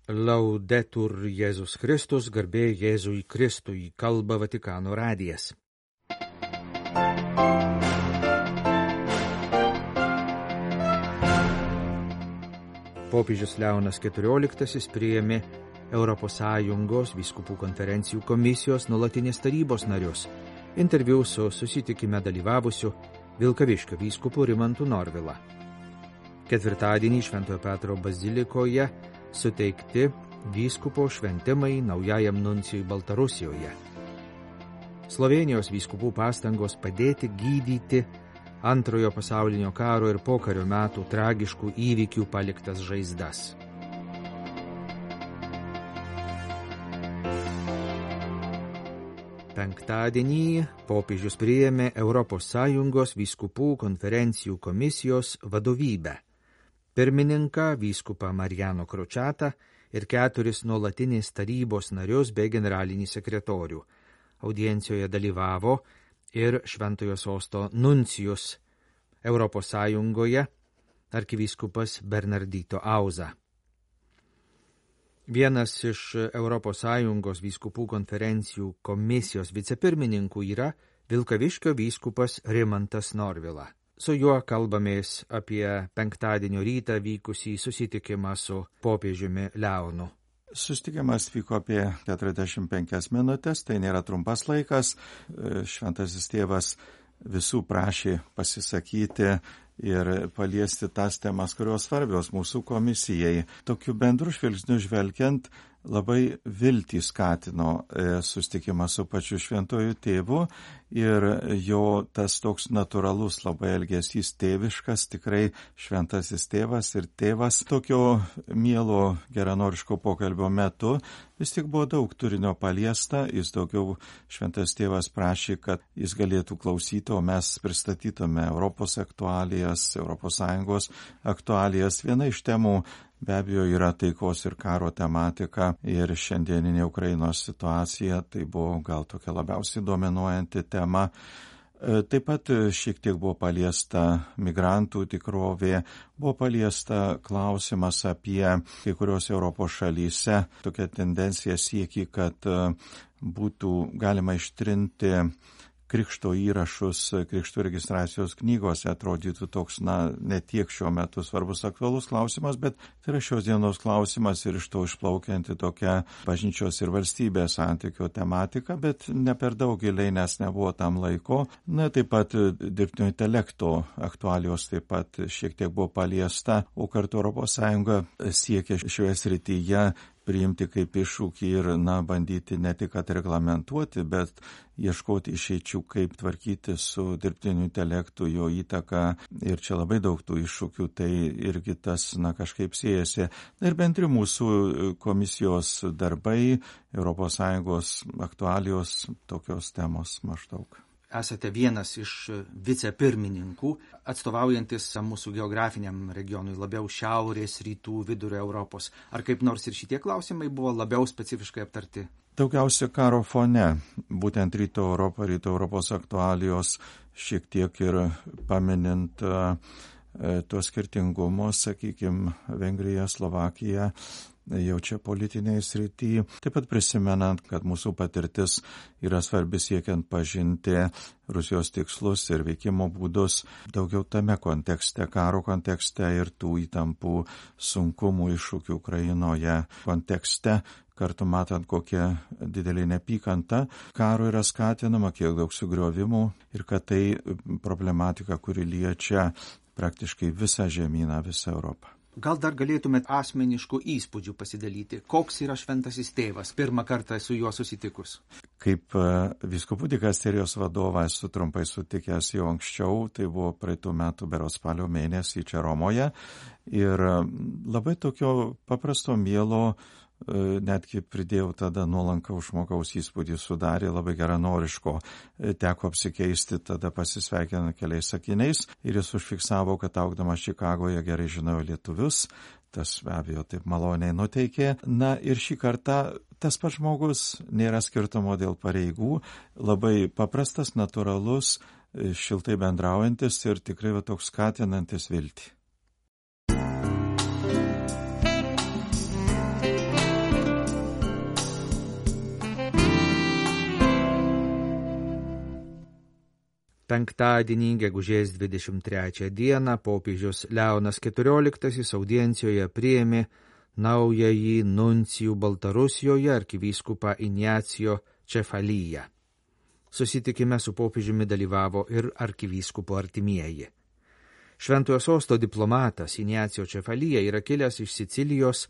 Laudetur Jėzus Kristus, garbė Jėzui Kristui, kalba Vatikano radijas. Popiežius Leonas XIV priėmė ES vyskupų konferencijų komisijos nuolatinės tarybos narius. Interviu su susitikime dalyvavusiu Vilkaviškio vyskupu Rimantu Norvila. Ketvirtadienį Šventojo Petro bazilikoje suteikti vyskupo šventimai naujajam nuncijui Baltarusijoje. Slovėnijos vyskupų pastangos padėti gydyti Antrojo pasaulinio karo ir pokario metų tragiškų įvykių paliktas žaizdas. Penktadienį popiežius priėmė ES vyskupų konferencijų komisijos vadovybę. Pirmininką vyskupą Mariano Kročatą ir 4 nuolatinės tarybos narius bei generalinį sekretorių. Audiencijoje dalyvavo ir Šventojo sosto nuncijus ES arkivyskupas Bernardito Auza. Vienas iš ES vyskupų konferencijų komisijos vicepirmininkų yra Vilkaviškio vyskupas Rimantas Norvila. Su juo kalbamės apie penktadienio rytą vykusį susitikimą su popiežiumi Leonu. Susitikimas vyko apie 45 minutės, tai nėra trumpas laikas. Šventasis tėvas visų prašė pasisakyti ir paliesti tas temas, kurios svarbios mūsų komisijai. Tokiu bendru žvilgsniu žvelgiant, labai viltį skatino susitikimą su pačiu šventuoju tėvu ir jo tas toks natūralus labai elgesys tėviškas, tikrai šventasis tėvas ir tėvas. Tokio mielo geranoriško pokalbio metu vis tik buvo daug turinio paliesta, jis daugiau šventas tėvas prašė, kad jis galėtų klausyti, o mes pristatytume Europos aktualijas, ES aktualijas. Viena iš temų be abejo yra taikos ir karo tematika ir šiandieninė Ukrainos situacija, tai buvo gal tokia labiausiai dominuojanti tema. Taip pat šiek tiek buvo paliesta migrantų tikrovė, buvo paliesta klausimas apie kai kurios Europos šalyse tokia tendencija sieki, kad būtų galima ištrinti krikšto įrašus, krikšto registracijos knygose. Atrodytų toks, ne tiek šiuo metu svarbus aktualus klausimas, bet tai yra šios dienos klausimas ir iš to išplaukianti tokia bažnyčios ir valstybės santykio tematika, bet ne per daug giliai, nes nebuvo tam laiko. Taip pat dirbtinio intelekto aktualijos taip pat šiek tiek buvo paliesta, o kartu ES siekia šioje srityje priimti kaip iššūkį ir, bandyti ne tik reglamentuoti, bet ieškoti išeičių, kaip tvarkyti su dirbtiniu intelektu, jo įtaka. Ir čia labai daug tų iššūkių, tai irgi tas, kažkaip siejasi. Ir bendri mūsų komisijos darbai, ES aktualijos, tokios temos maždaug. Esate vienas iš vicepirmininkų, atstovaujantis mūsų geografiniam regionui, labiau šiaurės, rytų, vidurio Europos. Ar kaip nors ir šitie klausimai buvo labiau specifiškai aptarti? Daugiausia karo fone, būtent rytų Europos aktualijos, šiek tiek ir paminint tuos skirtingumus, sakykime, Vengrija, Slovakija, jau čia politinėje srityje. Taip pat prisimenant, kad mūsų patirtis yra svarbi siekiant pažinti Rusijos tikslus ir veikimo būdus daugiau tame kontekste, karo kontekste ir tų įtampų sunkumų iššūkių Ukrainoje kontekste. Kartu matant, kokia didelė nepykanta karo yra skatinama, kiek daug sugriovimų ir kad tai problematika, kuri liečia praktiškai visą žemyną, visą Europą. Gal dar galėtumėt asmeniškų įspūdžių pasidalyti? Koks yra šventasis tėvas? Pirmą kartą su juo susitikus. Kaip vyskupų dikasterijos vadovas esu trumpai sutikęs jau anksčiau, tai buvo praeitų metų berods spalio mėnesį čia Romoje. Ir labai tokio paprasto mielo, netgi pridėjau tada nuolankaus žmogaus įspūdį sudarė, labai geranoriško. Teko apsikeisti, tada pasisveikinant keliais sakiniais ir jis užfiksavo, kad augdamas Čikagoje gerai žinojo lietuvius. Tas be abejo taip maloniai nuteikė. Ir šį kartą tas pats žmogus, nėra skirtumo dėl pareigų, labai paprastas, natūralus, šiltai bendraujantis ir tikrai toks skatinantis viltį. Penktadienį, gegužės 23 dieną, popiežius Leonas XIV audiencijoje priėmė naująjį nuncijų Baltarusijoje arkivyskupą Ignacio Cefalyją. Susitikime su popiežiumi dalyvavo ir arkivyskupo artimieji. Šventojo sosto diplomatas Ignacio Cefalyja yra kilęs iš Sicilijos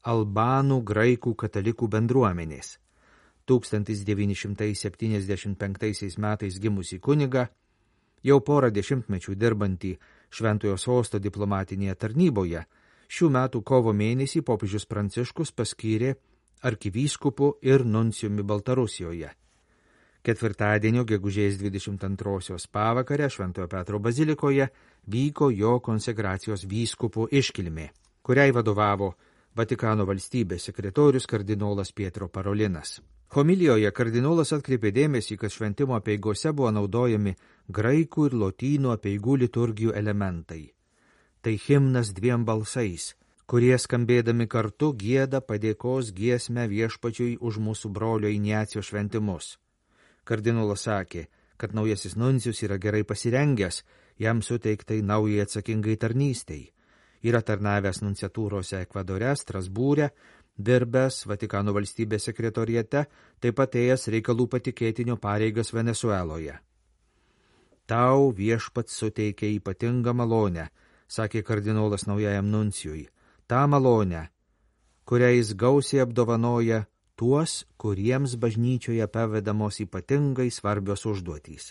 albanų graikų katalikų bendruomenės. 1975 metais gimusį kunigą, jau porą dešimtmečių dirbantį Šventojo sosto diplomatinėje tarnyboje, šių metų kovo mėnesį popiežius Pranciškus paskyrė arkivyskupu ir nuncijumi Baltarusijoje. Ketvirtadienio gegužės 22 pavakarę Šventojo Petro bazilikoje vyko jo konsekracijos vyskupų iškilmė, kuriai vadovavo Vatikano valstybės sekretorius kardinolas Pietro Parolinas. Homilijoje kardinolas atkreipė dėmesį, kad šventimo apeigose buvo naudojami graikų ir lotynų apeigų liturgijų elementai. Tai himnas dviem balsais, kurie skambėdami kartu gieda padėkos giesmę viešpačiui už mūsų brolio Ignacio šventimus. Kardinolas sakė, kad naujasis nuncijus yra gerai pasirengęs, jam suteiktai naujai atsakingai tarnystei. Yra tarnavęs nunciatūrose Ekvadore, Strasbūre, dirbęs Vatikano valstybės sekretoriate, taip pat ėjęs reikalų patikėtinio pareigas Venesueloje. Tau viešpats suteikė ypatingą malonę, sakė kardinolas naujajam nuncijui, tą malonę, kurią jis gausiai apdovanoja tuos, kuriems bažnyčioje pavedamos ypatingai svarbios užduotys.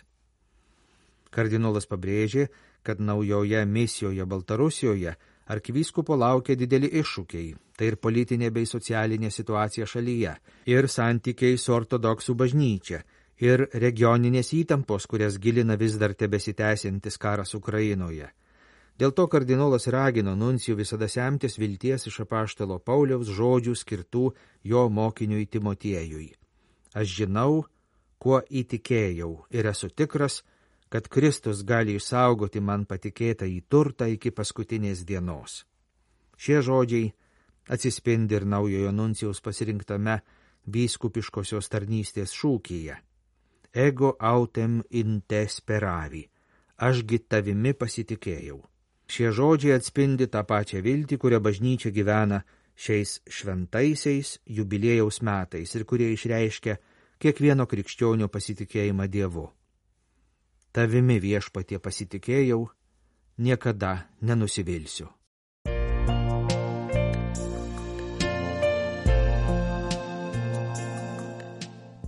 Kardinolas pabrėžė, kad naujoje misijoje Baltarusijoje arkivyskupo laukia dideli iššūkiai, tai ir politinė bei socialinė situacija šalyje, ir santykiai su ortodoksų bažnyčia, ir regioninės įtampos, kurias gilina vis dar tebesitęsiantis karas Ukrainoje. Dėl to kardinolas ragino nuncijų visada semtis vilties iš apaštalo Pauliaus žodžių skirtų jo mokiniui Timotiejui. Aš žinau, kuo įtikėjau ir esu tikras, kad Kristus gali išsaugoti man patikėtą į turtą iki paskutinės dienos. Šie žodžiai atsispindi ir naujojo nuncijaus pasirinktame vyskupiškosios tarnystės šūkyje. Ego autem in te speravi, ašgi tavimi pasitikėjau. Šie žodžiai atspindi tą pačią viltį, kurią bažnyčia gyvena šiais šventaisiais jubiliejaus metais ir kurie išreiškia kiekvieno krikščionio pasitikėjimą Dievu. Tavimi viešpatie pasitikėjau, niekada nenusivilsiu.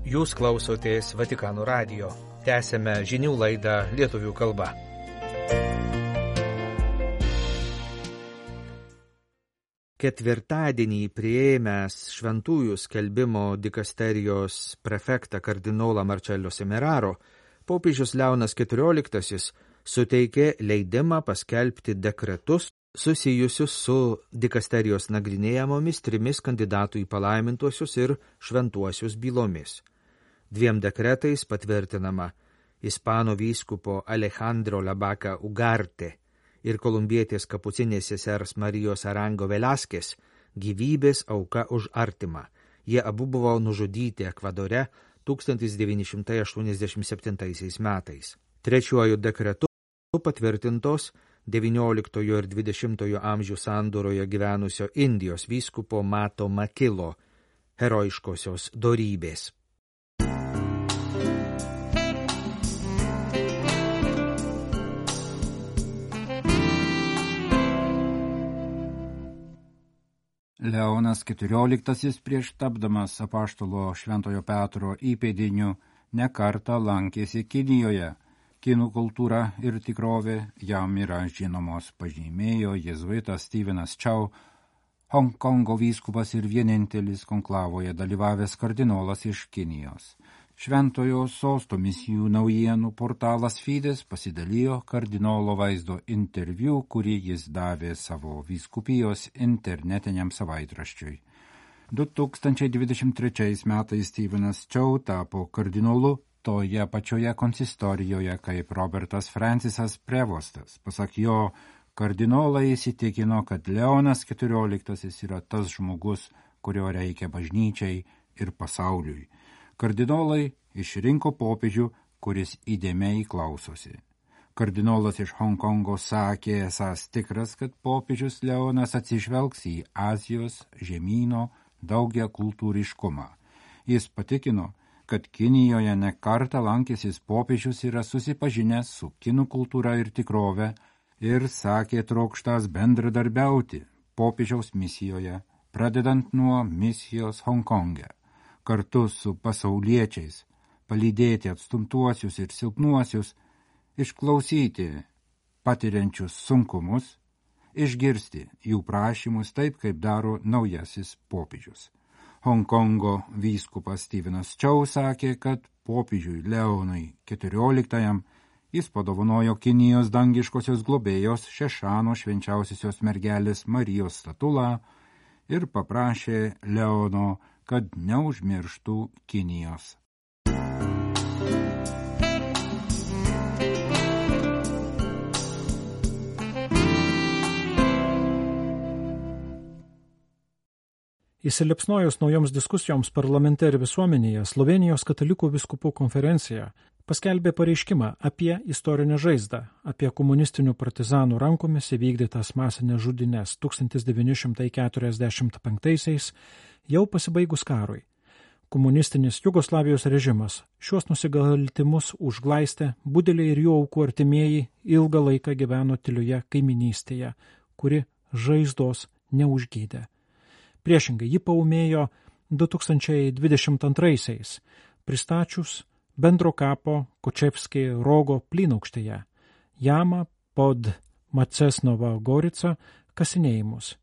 Jūs klausotės Vatikano radijo. Tęsėme žinių laidą lietuvių kalba. Ketvirtadienį priėmęs šventųjų skelbimo dikasterijos prefektą kardinolą Marcello Semeraro, popiežius Leonas XIV suteikė leidimą paskelbti dekretus susijusius su dikasterijos nagrinėjamomis 3 kandidatų į palaimintuosius ir šventuosius bylomis. 2 dekretais patvirtinama ispanų vyskupo Alejandro Labaca Ugarte ir kolumbietės kapucinės sesers Marijos Arango Velaskės gyvybės auka už artimą. Jie abu buvo nužudyti Ekvadore 1987 metais. Trečiuoju dekretu patvirtintos 19 ir 20 amžių sandūroje gyvenusio Indijos vyskupo Mato Makilo herojiškosios dorybės. Leonas XIV prieš tapdamas apaštalo Šventojo Petro įpėdiniu nekartą lankėsi Kinijoje. Kinų kultūra ir tikrovė jam yra žinomos, pažymėjo jėzuitas Stevenas Chow, Hongkongo vyskupas ir vienintelis konklavoje dalyvavęs kardinolas iš Kinijos. Šventojo sosto misijų naujienų portalas Fides pasidalijo kardinolo vaizdo interviu, kurį jis davė savo vyskupijos internetiniam savaitraščiui. 2023 metais Stevenas Chow tapo kardinolu toje pačioje konsistorijoje kaip Robertas Francisas Prevostas. Pasak jo, kardinolai įsitikino, kad Leonas XIV yra tas žmogus, kurio reikia bažnyčiai ir pasauliui. Kardinolai išrinko popiežių, kuris įdėmiai klausosi. Kardinolas iš Honkongo sakė esąs tikras, kad popiežius Leonas atsižvelgs į Azijos žemyno daugia kultūriškumą. Jis patikino, kad Kinijoje ne kartą lankęsis popiežius yra susipažinęs su kinų kultūra ir tikrove ir sakė trokštas bendradarbiauti popiežiaus misijoje, pradedant nuo misijos Honkonge, kartu su pasauliečiais, palydėti atstumtuosius ir silpnuosius, išklausyti patiriančius sunkumus, išgirsti jų prašymus taip, kaip daro naujasis popiežius. Honkongo vyskupas Stevenas Chow sakė, kad popiežiui Leonui XIV jis padovanojo Kinijos dangiškosios globėjos Šešano švenčiausiosios mergelės Marijos statulą ir paprašė Leono, kad neužmirštų Kinijos. Įsiliepsnojus naujoms diskusijoms parlamente ir visuomenėje, Slovėnijos katalikų vyskupų konferencija paskelbė pareiškimą apie istorinę žaizdą, apie komunistinių partizanų rankomis įvykdytas masinės žudynes 1945 jau pasibaigus karui. Komunistinis Jugoslavijos režimas šios nusikaltimus užglaistė, budeliai ir jų aukų artimieji ilgą laiką gyveno tylioje kaiminystėje, kuri žaizdos neužgydė. Priešingai, ji paūmėjo 2022-aisiais, pristačius bendro kapo Kočevskiai Rogo plynaukštėje, Jama pod Macesnova Gorica kasinėjimus.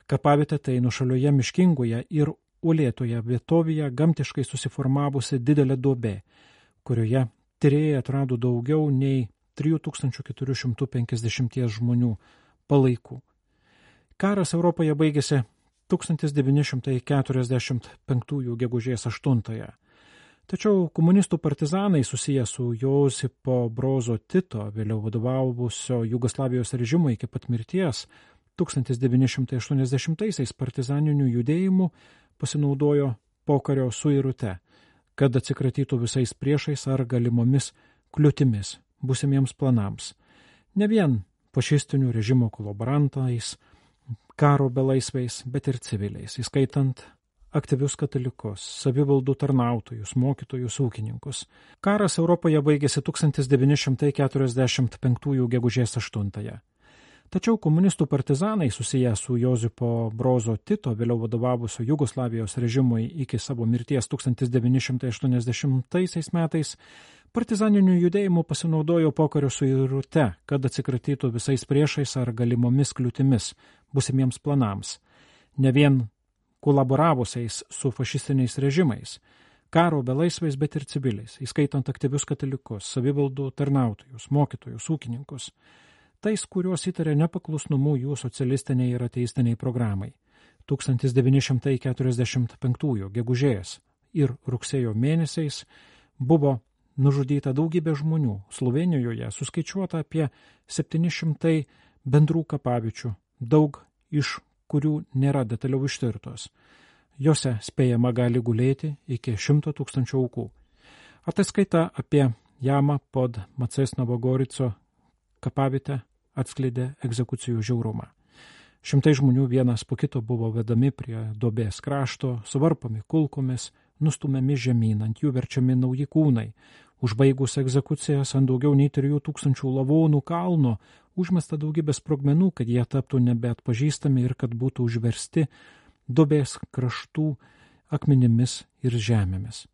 Kapavietė tai nušalioje miškingoje ir uolėtoje vietovėje gamtiškai susiformavusi didelė duobė, kurioje tyrėjai atrado daugiau nei 3450 žmonių palaikų. Karas Europoje baigėsi 1945 gegužės 8. Tačiau komunistų partizanai susiję su Josipo Brozo Tito, vėliau vadovavusio Jugoslavijos režimui iki pat mirties, 1980-aisiais partizaninių judėjimų pasinaudojo pokario suirute, kad atsikratytų visais priešais ar galimomis kliūtimis būsimiems planams. Ne vien fašistinių režimo kolaborantais, karo belaisviais, bet ir civiliais, įskaitant aktyvius katalikus, savivaldų tarnautojus, mokytojus, ūkininkus. Karas Europoje baigėsi 1945 gegužės 8. Tačiau komunistų partizanai susiję su Josipo Brozo Tito, vėliau vadovavusio Jugoslavijos režimui iki savo mirties 1980 metais, partizaninių judėjimų pasinaudojo pokario suirute, kad atsikratytų visais priešais ar galimomis kliūtimis būsimiems planams, ne vien kolaboravusiais su fašistiniais režimais, karo belaisviais, bet ir civiliais, įskaitant aktyvius katalikus, savivaldų tarnautojus, mokytojus, ūkininkus, tais, kuriuos įtarė nepaklusnumu jų socialistiniai ir ateistiniai programai. 1945 gegužės ir rugsėjo mėnesiais buvo nužudyta daugybė žmonių. Slovėnijoje suskaičiuota apie 700 bendrų kapaviečių, daug iš kurių nėra detaliau ištirtos. Jose spėjama gali gulėti iki 100 000 aukų. Ataskaita apie Jamą pod Macesnovo Gorico kapavietę atskleidė egzekucijų žiaurumą. Šimtai žmonių vienas po kito buvo vedami prie duobės krašto, suvarpomi kulkomis, nustumiami žemyn, ant jų verčiami nauji kūnai. Užbaigus egzekucijas ant daugiau nei 3000 lavonų kalno užmesta daugybė sprogmenų, kad jie taptų nebeatpažįstami ir kad būtų užversti duobės kraštų akmenimis ir žemėmis.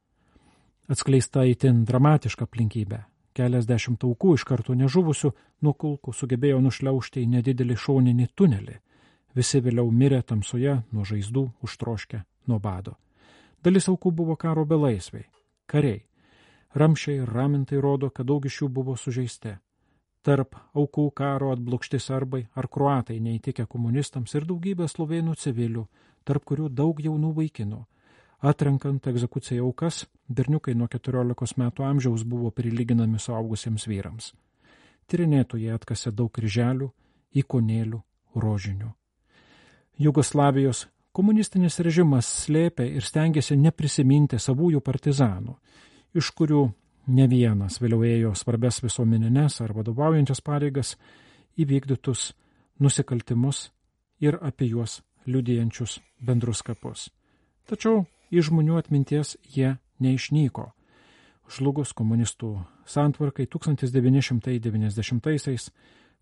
Atskleista itin dramatiška aplinkybė. Keliasdešimt aukų iš karto nežuvusių nuo kulkų sugebėjo nušliaužti į nedidelį šoninį tunelį. Visi vėliau mirė tamsoje nuo žaizdų, užtroškę nuo bado. Dalis aukų buvo karo belaisviai, kariai. Ramšiai ir ramintai rodo, kad daug iš jų buvo sužeisti. Tarp aukų karo atblokšti serbai ar kroatai neįtikę komunistams ir daugybė slovėnų civilių, tarp kurių daug jaunų vaikinų. Atrenkant egzekucijai aukas, berniukai nuo 14 metų amžiaus buvo prilyginami suaugusiems vyrams. Tyrinėtojai atkasė daug kryželių, ikonėlių, rožinių. Jugoslavijos komunistinis režimas slėpė ir stengėsi neprisiminti savųjų partizanų, iš kurių ne vienas vėliau ėjo svarbias visuomeninės ar vadovaujančias pareigas, įvykdytus nusikaltimus ir apie juos liudijančius bendrus kapus. Tačiau iš žmonių atminties jie neišnyko. Žlugus komunistų santvarkai 1990-aisiais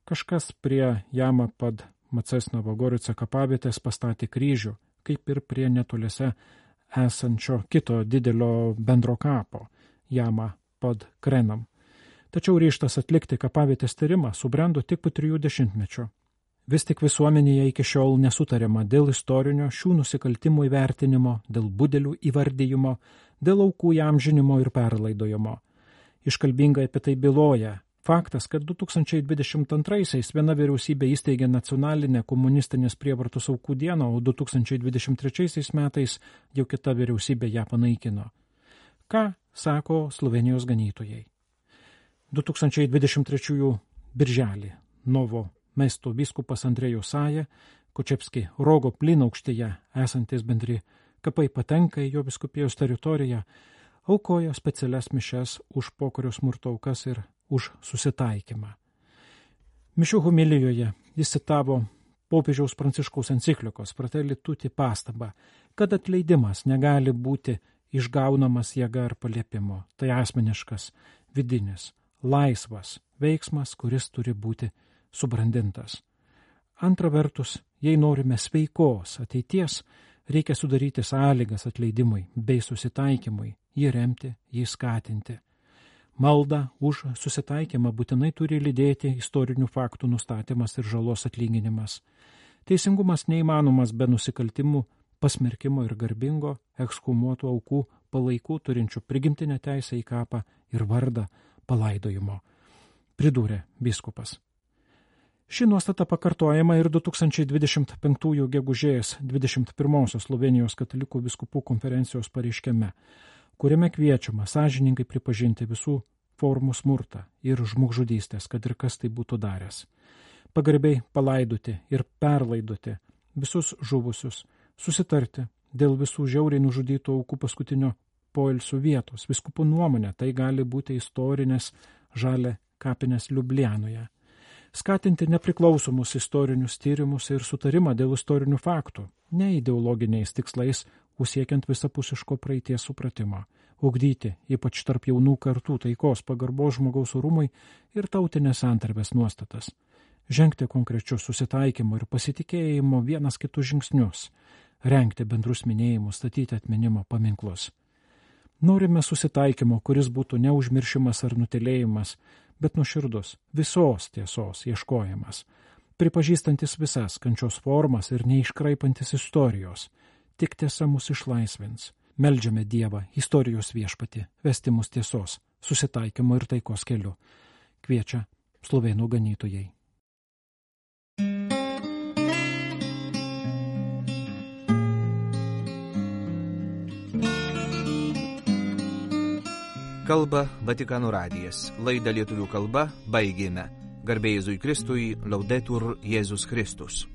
kažkas prie Jama Pad Macesnovo Gorice kapavietės pastatė kryžių, kaip ir prie netoliese esančio kito didelio bendro kapo, Jama Pad Krenam. Tačiau ryžtas atlikti kapavietės tyrimą subrendo tik po 3 dešimtmečių. Vis tik visuomenėje iki šiol nesutariama dėl istorinio šių nusikaltimų įvertinimo, dėl budelių įvardyjimo, dėl aukų įamžinimo ir perlaidojimo. Iškalbingai apie tai byloja faktas, kad 2022-aisiais viena vyriausybė įsteigė nacionalinę komunistinės prievartos aukų dieną, o 2023 metais jau kita vyriausybė ją panaikino. Ką sako Slovėnijos ganytojai? 2023 birželį Novo Mesto vyskupas Andrejus Saja, Kočepski Rogo plynaukštėje esantis bendri kapai patenka į jo vyskupijos teritoriją, aukojo specialias mišias už pokario smurto aukas ir už susitaikymą. Mišių homilijoje jis citavo popiežiaus Pranciškaus enciklikos Fratelli Tutti pastabą, kad atleidimas negali būti išgaunamas jėga ar paliepimu. Tai asmeniškas, vidinis, laisvas veiksmas, kuris turi būti subrandintas. Antra vertus, jei norime sveikos ateities, reikia sudaryti sąlygas atleidimui bei susitaikymui, jį remti, jį skatinti. Malda už susitaikymą būtinai turi lydėti istorinių faktų nustatymas ir žalos atlyginimas. Teisingumas neįmanomas be nusikaltimų, pasmerkimo ir garbingo, ekshumuotų aukų palaikų turinčių prigimtinę teisę į kapą ir vardą palaidojimo, pridūrė vyskupas. Ši nuostata pakartojama ir 2025 gegužės 21 Slovėnijos katalikų vyskupų konferencijos pareiškime, kuriame kviečiama sąžiningai pripažinti visų formų smurtą ir žmogžudystės, kad ir kas tai būtų daręs. Pagarbiai palaidoti ir perlaidoti visus žuvusius, susitarti dėl visų žiauriai nužudytų aukų paskutinio poilsių vietos. Vyskupų nuomonė tai gali būti istorinės žalia kapinės Liublianoje. Skatinti nepriklausomus istorinius tyrimus ir sutarimą dėl istorinių faktų, ne ideologiniais tikslais, siekiant visapusiško praeities supratimo, ugdyti, ypač tarp jaunų kartų, taikos, pagarbos žmogaus orumui ir tautinės santarvės nuostatas, žengti konkrečius susitaikymo ir pasitikėjimo vienas kitus žingsnius, rengti bendrus minėjimus, statyti atminimo paminklus. Norime susitaikymo, kuris būtų neužmiršimas ar nutilėjimas, bet nuoširdus, visos tiesos ieškojimas, pripažįstantis visas kančios formas ir neiškraipantis istorijos. Tik tiesa mus išlaisvins. Meldžiame Dievą, istorijos viešpatį, vesti mus tiesos, susitaikymo ir taikos keliu. Kviečia slovėnų ganytojai. Kalba Vatikano radijas. Laidą lietuvių kalba baigėme. Garbė Jėzui Kristui, Laudetur Jėzus Kristus.